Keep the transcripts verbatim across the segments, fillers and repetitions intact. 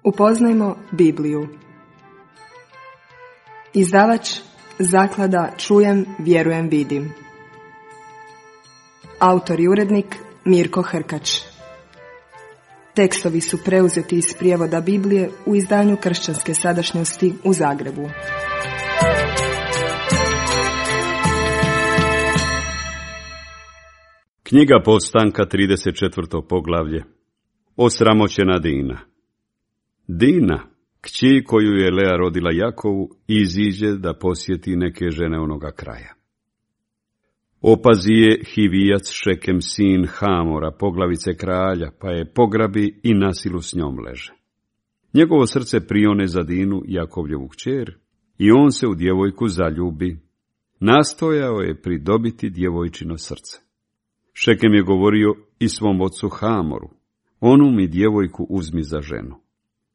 Upoznajmo Bibliju. Izdavač Zaklada Čujem, vjerujem, vidim. Autor i urednik Mirko Hrkač. Tekstovi su preuzeti iz prijevoda Biblije u izdanju Kršćanske sadašnjosti u Zagrebu. Knjiga Povstanka, trideset četvrto poglavlje. Osramoćena Dina. Dina, kći koju je Lea rodila Jakovu, iziđe da posjeti neke žene onoga kraja. Opazi je Hivijac Šekem, sin Hamora, poglavice kralja, pa je pograbi i nasilu s njom leže. Njegovo srce prione za Dinu, Jakovljevu kćer, i on se u djevojku zaljubi. Nastojao je pridobiti djevojčino srce. Šekem je govorio i svom ocu Hamoru: onu mi djevojku uzmi za ženu.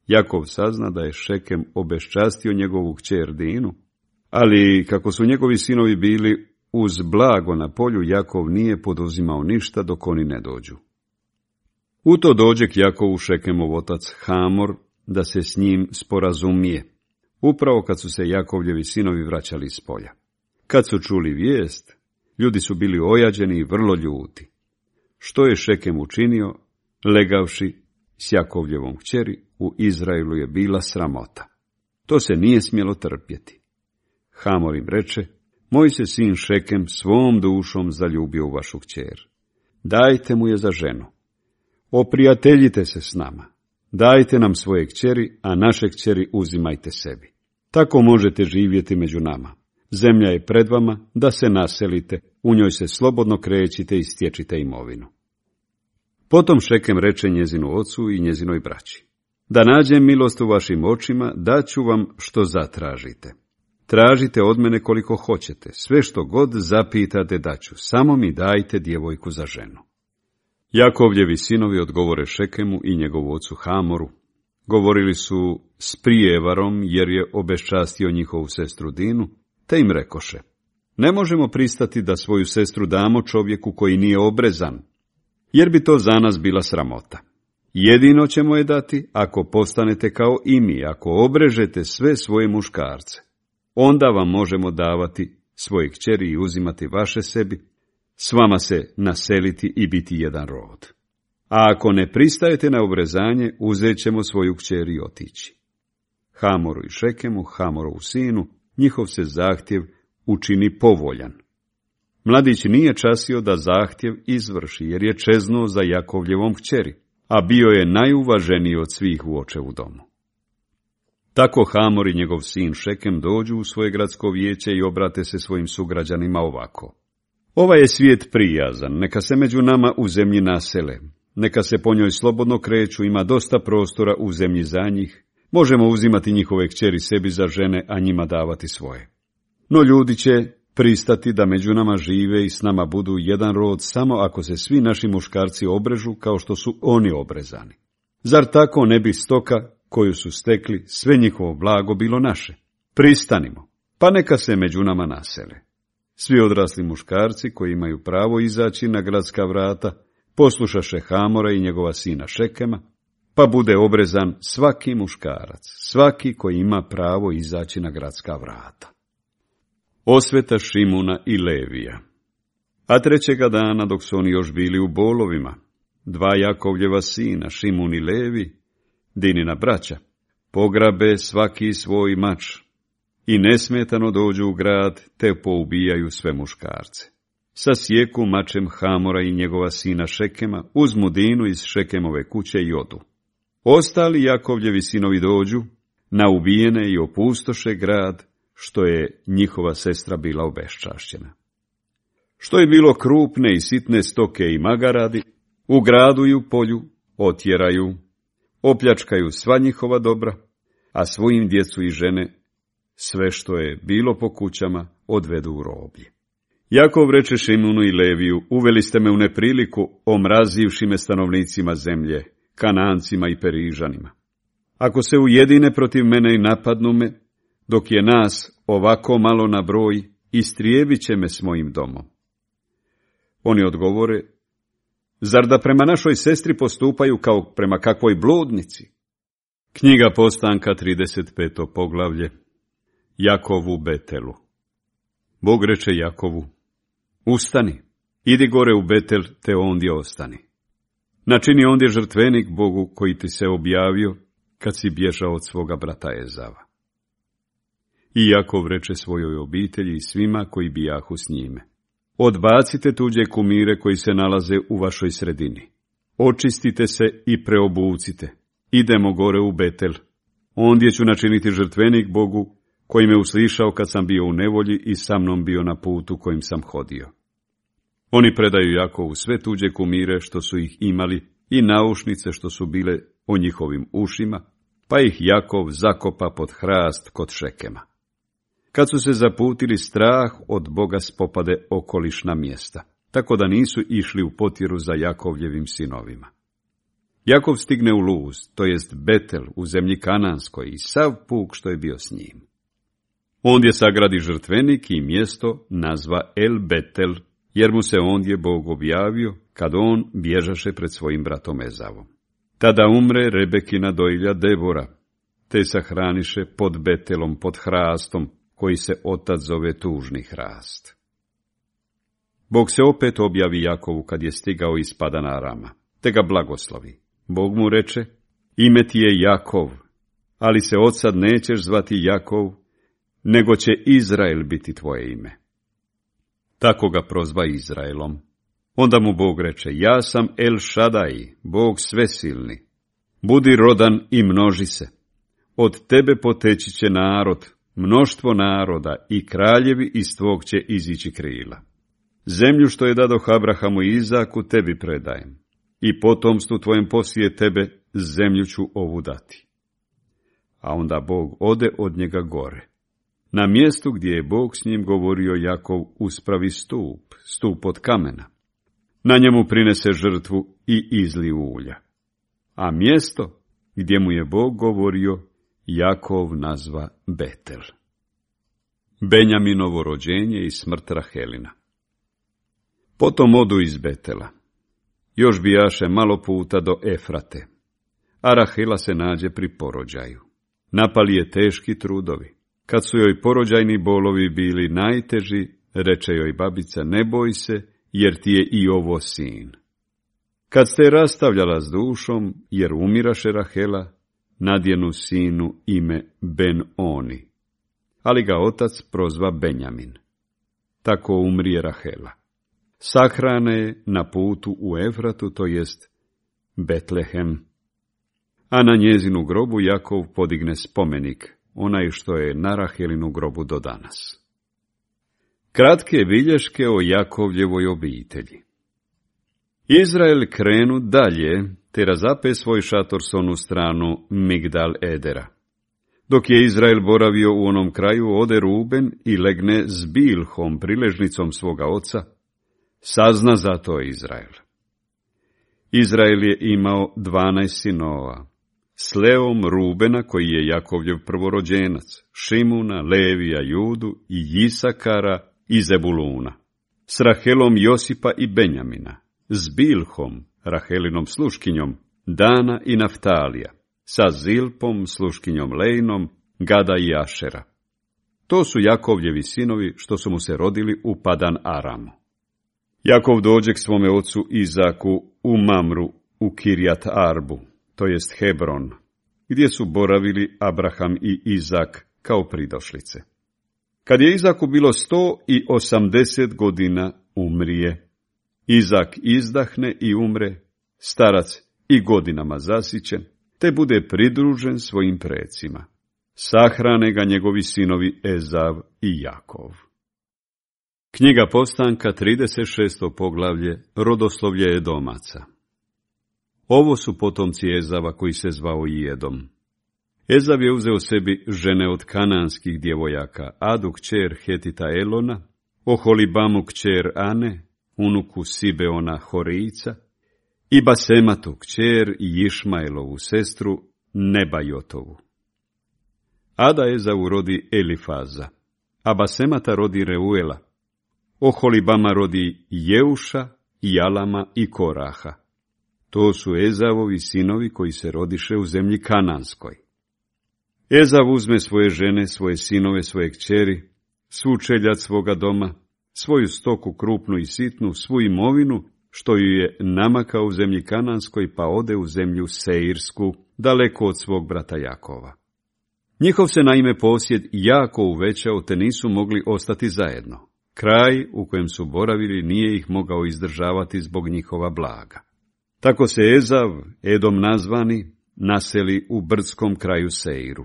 Jakov sazna da je Šekem obeščastio njegovu kćer Dinu, ali kako su njegovi sinovi bili uz blago na polju, Jakov nije poduzimao ništa dok oni ne dođu. U to dođe k Jakovu Šekemov otac Hamor da se s njim sporazumije, upravo kad su se Jakovljevi sinovi vraćali iz polja. Kad su čuli vijest, ljudi su bili ojađeni i vrlo ljuti. Što je Šekem učinio, legavši s Jakovljevom kćeri, u Izraelu je bila sramota. To se nije smjelo trpjeti. Hamor im reče: moj se sin Šekem svom dušom zaljubio u vašu kćer. Dajte mu je za ženu. Oprijateljite se s nama. Dajte nam svoje kćeri, a naše kćeri uzimajte sebi. Tako možete živjeti među nama. Zemlja je pred vama, da se naselite, u njoj se slobodno krećite i stječite imovinu. Potom Šekem reče njezinu ocu i njezinoj braći: da nađem milost u vašim očima, daću vam što zatražite. Tražite od mene koliko hoćete, sve što god zapitate daću, samo mi dajte djevojku za ženu. Jakovljevi sinovi odgovore Šekemu i njegovu ocu Hamoru. Govorili su s prijevarom, jer je obeščastio njihovu sestru Dinu, te im rekoše: ne možemo pristati da svoju sestru damo čovjeku koji nije obrezan, jer bi to za nas bila sramota. Jedino ćemo je dati ako postanete kao i mi, ako obrežete sve svoje muškarce. Onda vam možemo davati svoje kćeri i uzimati vaše sebi, s vama se naseliti i biti jedan rod. A ako ne pristajete na obrezanje, uzet ćemo svoju kćer i otići. Hamoru i Šekemu, Hamorovu sinu, njihov se zahtjev učini povoljan. Mladić nije časio da zahtjev izvrši, jer je čeznuo za Jakovljevom kćeri, a bio je najuvaženiji od svih u očevu domu. Tako Hamor i njegov sin Šekem dođu u svoje gradsko vijeće i obrate se svojim sugrađanima ovako: ovaj je svijet prijazan, neka se među nama u zemlji nasele, neka se po njoj slobodno kreću, ima dosta prostora u zemlji za njih, možemo uzimati njihove kćeri sebi za žene, a njima davati svoje. No ljudi će pristati da među nama žive i s nama budu jedan rod samo ako se svi naši muškarci obrežu kao što su oni obrezani. Zar tako ne bi stoka koju su stekli, sve njihovo blago bilo naše? Pristanimo, pa neka se među nama nasele. Svi odrasli muškarci koji imaju pravo izaći na gradska vrata poslušaše Hamora i njegova sina Šekema, pa bude obrezan svaki muškarac, svaki koji ima pravo izaći na gradska vrata. Osveta Šimuna i Levija. A trećega dana, dok su oni još bili u bolovima, dva Jakovljeva sina, Šimun i Levi, Dinina braća, pograbe svaki svoj mač i nesmetano dođu u grad, te poubijaju sve muškarce. Sasjeku mačem Hamora i njegova sina Šekema, uzmu Dinu iz Šekemove kuće i odu. Ostali Jakovljevi sinovi dođu, na ubijene i opustoše grad, što je njihova sestra bila obeščašćena. Što je bilo krupne i sitne stoke i magaradi, u gradu i u polju otjeraju, opljačkaju sva njihova dobra, a svojim djecu i žene, sve što je bilo po kućama, odvedu u roblje. Jakov reče Šimunu i Leviju: uveli ste me u nepriliku, omrazivši me stanovnicima zemlje, Kanancima i Perižanima. Ako se ujedine protiv mene i napadnu me, dok je nas ovako malo na broj, istrijebit će me s mojim domom. Oni odgovore: zar da prema našoj sestri postupaju kao prema kakvoj bludnici? Knjiga Postanka, trideset peto poglavlje. Jakov u Betelu. Bog reče Jakovu: Ustani, idi gore u Betel, te ondje ostani. Načini ondje žrtvenik Bogu koji ti se objavio kad si bježao od svoga brata Ezava. I Jakov reče svojoj obitelji i svima koji bijahu s njime: Odbacite tuđe kumire koji se nalaze u vašoj sredini. Očistite se i preobucite. Idemo gore u Betel. Ondje ću načiniti žrtvenik Bogu koji me uslišao kad sam bio u nevolji i sa mnom bio na putu kojim sam hodio. Oni predaju Jakovu sve tuđe kumire što su ih imali i naušnice što su bile o njihovim ušima, pa ih Jakov zakopa pod hrast kod Šekema. Kad su se zaputili, strah od Boga spopade okolišna mjesta, tako da nisu išli u potjeru za Jakovljevim sinovima. Jakov stigne u Luz, to jest Betel, u zemlji Kananskoj, i sav puk što je bio s njim. Ondje sagradi žrtvenik i mjesto nazva El Betel, jer mu se ondje Bog objavio, kad on bježaše pred svojim bratom Ezavom. Tada umre Rebekina dojilja Debora, te sahraniše pod Betelom, pod hrastom, koji se otac zove tužni hrast. Bog se opet objavi Jakovu kad je stigao iz Padana Arama, te ga blagoslovi. Bog mu reče: Ime ti je Jakov, ali se odsad nećeš zvati Jakov, nego će Izrael biti tvoje ime. Tako ga prozva Izraelom. Onda mu Bog reče: Ja sam El Šadaj, Bog svesilni. Budi rodan i množi se. Od tebe poteći će narod, mnoštvo naroda, i kraljevi iz tvog će izići krila. Zemlju što je dadoh Abrahamu i Izaku tebi predajem, i potomstvu tvojem poslije tebe zemlju ću ovu dati. A onda Bog ode od njega gore. Na mjestu gdje je Bog s njim govorio, Jakov uspravi stup, stup od kamena. Na njemu prinese žrtvu i izli ulja. A mjesto gdje mu je Bog govorio, Jakov nazva Betel. Benjaminovo rođenje i smrt Rahelina. Potom odu iz Betela. Još bijaše malo puta do Efrate, a Rahela se nađe pri porođaju. Napali je teški trudovi. Kad su joj porođajni bolovi bili najteži, reče joj babica: Ne boj se, jer ti je i ovo sin. Kad ste rastavljala s dušom, jer umiraše Rahela, nadjenu sinu ime Ben-Oni, ali ga otac prozva Benjamin. Tako umrije Rahela. Sahrane je na putu u Efratu, to jest Betlehem, a na njezinu grobu Jakov podigne spomenik, onaj što je na Rahelinu grobu do danas. Kratke bilješke o Jakovljevoj obitelji. Izrael krenu dalje, te razape svoj šator s onu stranu Migdal Edera. Dok je Izrael boravio u onom kraju, ode Ruben i legne s Bilhom, priležnicom svoga oca. Sazna za to Izrael. Izrael je imao dvanaest sinova. S Leom Rubena, koji je Jakovljev prvorođenac, Šimuna, Levija, Judu i Jisakara i Zebuluna. S Rahelom Josipa i Benjamina. S Bilhom, Rahelinom sluškinjom, Dana i Naftalija. Sa Zilpom, sluškinjom Lejnom, Gada i Ašera. To su Jakovljevi sinovi što su mu se rodili u Padan Aramu. Jakov dođe k svome ocu Izaku u Mamru u Kirjat Arbu, to jest Hebron, gdje su boravili Abraham i Izak kao pridošlice. Kad je Izaku bilo sto i osamdeset godina, umrije. Izak izdahne i umre, starac i godinama zasićen, te bude pridružen svojim precima. Sahrane ga njegovi sinovi Ezav i Jakov. Knjiga Postanka, trideset šesto poglavlje, rodoslovlje Edomaca. Ovo su potomci Ezava koji se zvao Jedom. Ezav je uzeo sebi žene od kananskih djevojaka, Adu kćer Hetita Elona, Oholibamu kćer Ane, unuku Sibeona Horijca, i Basematu kćer Išmaelovu sestru Nebajotovu. Ada Ezavu rodi Elifaza, a Basemata rodi Reuela. Oholibama rodi Jeuša, Jalama i Koraha. To su Ezavovi sinovi koji se rodiše u zemlji Kananskoj. Ezav uzme svoje žene, svoje sinove, svoje kćeri, svu čeljad svoga doma, svoju stoku krupnu i sitnu, svu imovinu, što ju je namakao u zemlji Kananskoj, pa ode u zemlju Seirsku, daleko od svog brata Jakova. Njihov se naime posjed jako uvećao, te nisu mogli ostati zajedno. Kraj u kojem su boravili nije ih mogao izdržavati zbog njihova blaga. Tako se Ezav, Edom nazvani, naseli u brdskom kraju Seiru.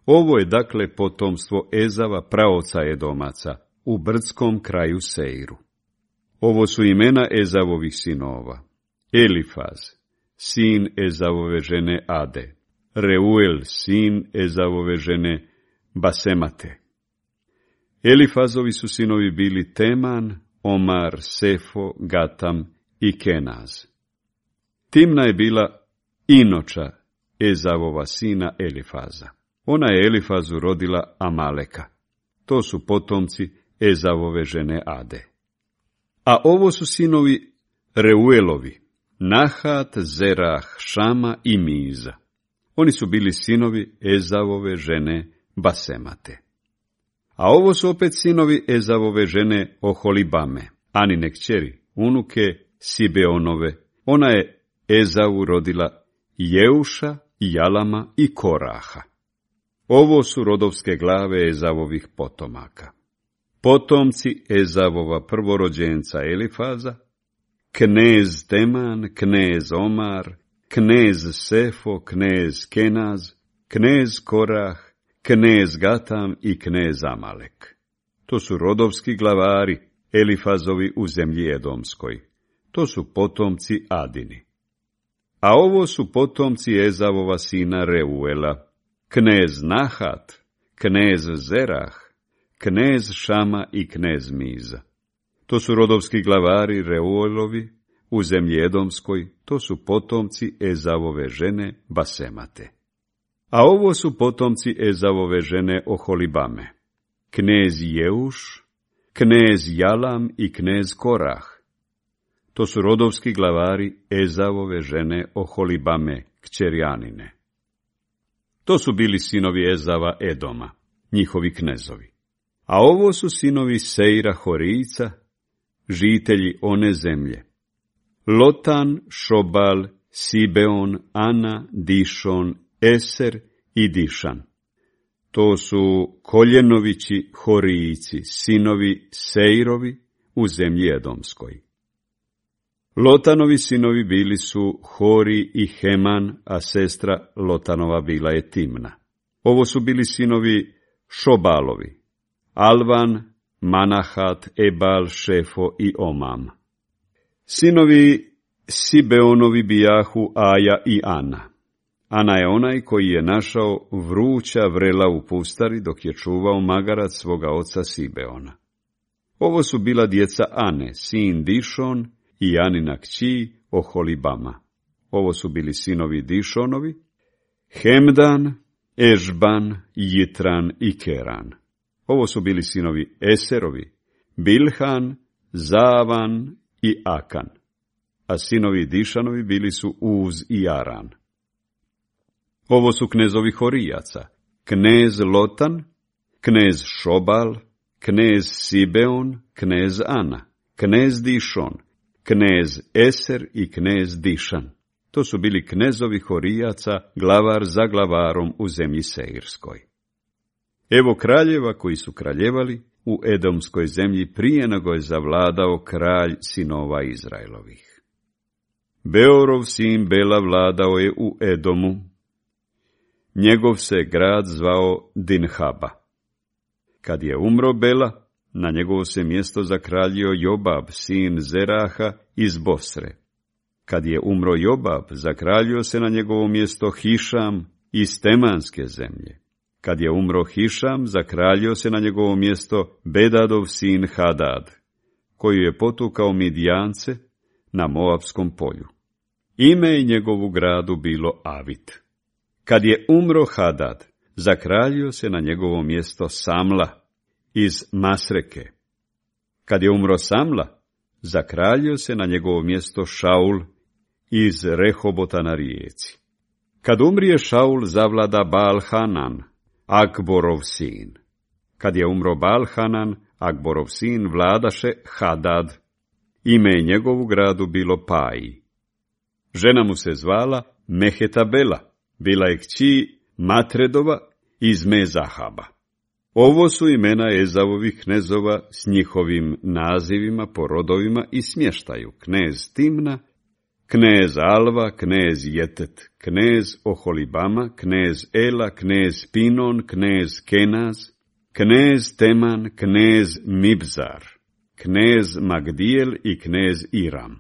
Ovo je dakle potomstvo Ezava, praoca Edomaca, u brdskom kraju Seiru. Ovo su imena Ezavovih sinova: Elifaz, sin Ezavove žene Ade, Reuel, sin Ezavove žene Basemate. Elifazovi su sinovi bili Teman, Omar, Sefo, Gatam i Kenaz. Timna je bila Inoča, Ezavova sina Elifaza. Ona je Elifazu rodila Amaleka. To su potomci Ezavove žene Ade. A ovo su sinovi Reuelovi: Nahat, Zerah, Šama i Miza. Oni su bili sinovi Ezavove žene Basemate. A ovo su opet sinovi Ezavove žene Oholibame, Anine kćeri, unuke Sibeonove. Ona je Ezavu rodila Jeuša, Jalama i Koraha. Ovo su rodovske glave Ezavovih potomaka. Potomci Ezavova prvorođenca Elifaza: knez Teman, knez Omar, knez Sefo, knez Kenaz, knez Korah, knez Gatam i knez Amalek. To su rodovski glavari Elifazovi u zemlji Edomskoj. To su potomci Adini. A ovo su potomci Ezavova sina Reuela: knez Nahat, knez Zerah, knez Šama i knez Miza. To su rodovski glavari Reuelovi u zemlji Edomskoj. To su potomci Ezavove žene Basemate. A ovo su potomci Ezavove žene Oholibame: knez Jeuš, knez Jalam i knez Korah. To su rodovski glavari Ezavove žene Oholibame, kćeri Anine. To su bili sinovi Ezava Edoma, njihovi knezovi. A ovo su sinovi Seira Horijica, žitelji one zemlje: Lotan, Šobal, Sibeon, Ana, Dišon, Eser i Dišan. To su Koljenovići Horijici, sinovi Seirovi u zemlji Edomskoj. Lotanovi sinovi bili su Hori i Heman, a sestra Lotanova bila je Timna. Ovo su bili sinovi Šobalovi: Alvan, Manahat, Ebal, Šefo i Omam. Sinovi Sibeonovi bijahu Aja i Ana. Ana je onaj koji je našao vruća vrela u pustari dok je čuvao magarac svoga oca Sibeona. Ovo su bila djeca Ane, sin Dišon i Anina kći Oholibama. Ovo su bili sinovi Dišonovi: Hemdan, Ežban, Jitran i Keran. Ovo su bili sinovi Eserovi: Bilhan, Zavan i Akan. A sinovi Dišanovi bili su Uz i Aran. Ovo su knezovi Horijaca: knez Lotan, knez Šobal, knez Sibeon, knez Ana, knez Dišon, knez Eser i knez Dišan. To su bili knezovi Horijaca, glavar za glavarom u zemlji Seirskoj. Evo kraljeva koji su kraljevali u Edomskoj zemlji prije nego je zavladao kralj sinova Izraelovih. Beorov sin Bela vladao je u Edomu. Njegov se grad zvao Dinhaba. Kad je umro Bela, na njegovo se mjesto zakraljio Jobab, sin Zeraha iz Bosre. Kad je umro Jobab, zakraljio se na njegovo mjesto Hišam iz Temanske zemlje. Kad je umro Hišam, zakraljio se na njegovo mjesto Bedadov sin Hadad, koji je potukao Midijance na Moabskom polju. Ime je njegovu gradu bilo Avit. Kad je umro Hadad, zakraljio se na njegovo mjesto Samla iz Masreke. Kad je umro Samla, zakraljio se na njegovo mjesto Šaul iz Rehobota na rijeci. Kad umrije Šaul, zavlada Baal-Hanan, Akborov sin. Kad je umro Baal-Hanan, Akborov sin, vladaše Hadad. Ime je njegovu gradu bilo Paji. Žena mu se zvala Mehetabela, bila je kći Matredova iz Mezahaba. Ovo su imena Ezavovih knezova s njihovim nazivima po rodovima i smještaju: knez Timna, knez Alva, knez Jetet, knez Oholibama, knez Ela, knez Pinon, knez Kenaz, knez Teman, knez Mibzar, knez Magdijel i knez Iram.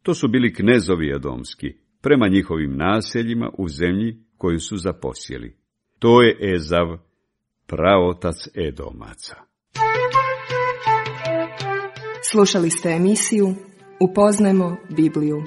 To su bili knezovi edomski, prema njihovim naseljima u zemlji koju su zaposjeli. To je Ezav, praotac Edomaca. Slušali ste emisiju Upoznajmo Bibliju.